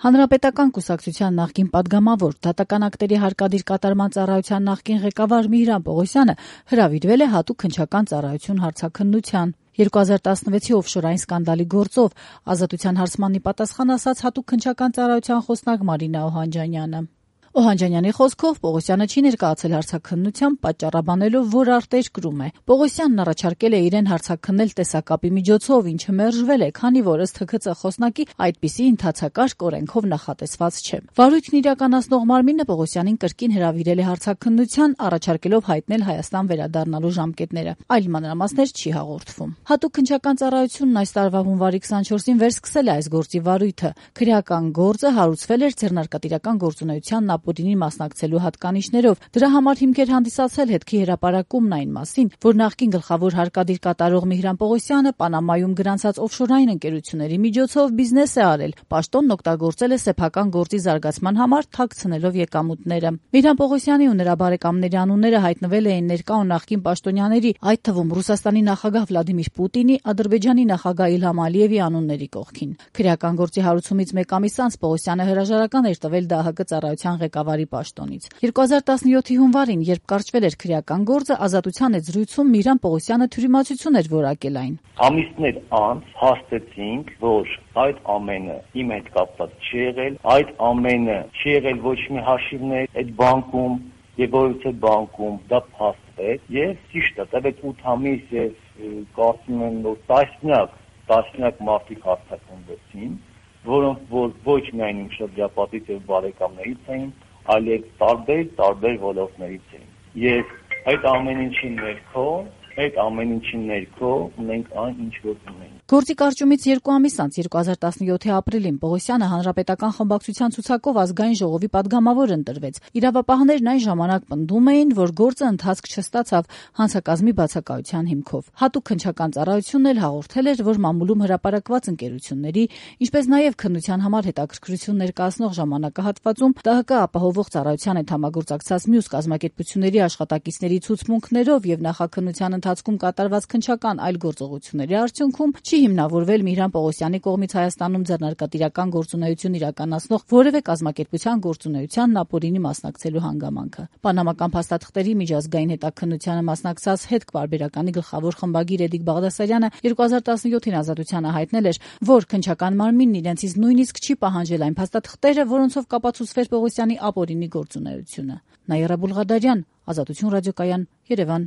Հանրապետական կուսակցության նախկին պատգամավոր, դատական ակտերի հարկադիր կատարման ծառայության նախկին ղեկավար Միհրան Պողոսյանը հրավիրվել է հատուկ քննչական ծառայություն հարցաքննության։ 2016-ի օֆշորային սկանդալի գործով Ազատության հարցմանն ի պատասխան ասաց հատուկ քննչական ծառայության խոսնակ Մարինա Օհանջանյանը։ Օհանջանյանի խոսքով Պողոսյանը չի ներկայացել հարցաքննության, պատճառաբանելով, որ արտերկրում է։ Պողոսյանն առաջարկել է իրեն հարցաքննել տեսակապի միջոցով, ինչը մերժվել է, քանի որ ըստ ՀՔԾ խոսնակի այդպիսի ընթացակարգ օրենքով նախատեսված չէ։ Վարույթն իրականացնող մարմինը Պողոսյանին կրկին հրավիրել է հարցաքննության, առաջարկելով հայտնել Հայաստան վերադառնալու ժամկետները։ Այլ մանրամասներ չի հաղորդվում։ Հատուկ քննչական ծառայությունն այս տարվա հունվարի 24-ին վերսկսել է այս գործի վարույթը։ Քրեական գործը հարուցվել էր ձեռնարկատիրական գործունեությանն ապօրինի մասնակցելու հատկանիշներով։ Դրա համար հիմք էր հանդիսացել հետքի հրապարակումն այն մասին, որ նախկին գլխավոր հարկադիր կատարող Միհրան Պողոսյանը Պանամայում գրանցած օֆշորային ընկերությունների միջոցով բիզնես է արել, պաշտոնն օգտագործել է սեփական գործի զարգացման համար, թաքցնելով եկամուտները։ Միհրան Պողոսյանի ու նրա բարեկամների անունները հայտնվել էին ներկա ու նախկին պաշտոնյաների, այդ թվում Ռուսաստանի նախագահ Վլադիմիր Պուտինի, Ադրբեջանի նախագահ Իլհամ Ալիևի անունների կողքին։ Քրեական գործի հարուցումից մեկ ամիս անց Պողոսյանը հրաժարական էր տվել ԴԱՀԿ ծառայության ղեկավարի պաշտոնից։ 2017-ի հունվարին, երբ կարճվել էր քրեական գործը, Ազատության հետ զրույցում Միհրան Պողոսյանը թյուրիմացություն էր որակել այն։ Ամիսներ անց հաստատեցինք, որ այդ ամենը իմ հետ կապված չի եղել, այդ ամենը չի եղել ոչ մի հաշիվներ այդ բանկում եւ որևէ բանկում դա փաստվեց եւ ճիշտ է, տևեց 8 ամիս եւ կարծում եմ որ տասնյակ մարդիկ հաստատվեցին, որոնք որ ոչ միայն իմ շրջապատից եւ բարեկամներից էին, այլև տարբեր ոլորտներից էին։ Եվ այդ ամեն ինչի ներքո ունենք այն ինչ որ ունենք։ Գործի կարճումից 2 ամիս անց 2017-ի ապրիլին Պողոսյանը հանրապետական խմբակցության ցուցակով ազգային ժողովի պատգամավոր ընտրվեց։ Իրավապահներն այն ժամանակ պնդում էին, որ գործը ընթացք չստացավ հանցակազմի բացակայության հիմքով։ Հատուկ քննչական ծառայությունն էլ հաղորդել էր, որ մամուլում հրապարակված ընկերությունների, ինչպես նաև քննության համար հետաքրքրություն ներկայացնող ժամանակահատվածում ԴՀԿ ապահովող ծառայության հետ համագործակցած մյուս կազմակերպությունների աշխատակիցների ցուցմունքներով եւ նախաքննության ընթացքում կատարված քննչական այլ գործողությունների արդյունքում չի հիմնավորվել Միհրան Պողոսյանի կողմից Հայաստանում ձեռնարկատիրական գործունեություն իրականացնող որևէ կազմակերպության գործունեությանն ապօրինի մասնակցելու հանգամանքը։ Պանամական փաստաթղթերի միջազգային հետաքննությանը մասնակցած հետք պարբերականի գլխավոր խմբագիր Էդիկ Բաղդասարյանը 2017-ին Ազատությանը հայտնել էր, որ քննչական մարմինն իրենցից նույնիսկ չի պահանջել այն փաստաթղթերը, որոնցով կապացուցվեր Պողոսյանի ապօրինի գործունեությունը։ Նաիրա Բուլղադարյան, Ազատություն ռադիոկայան, Երևան։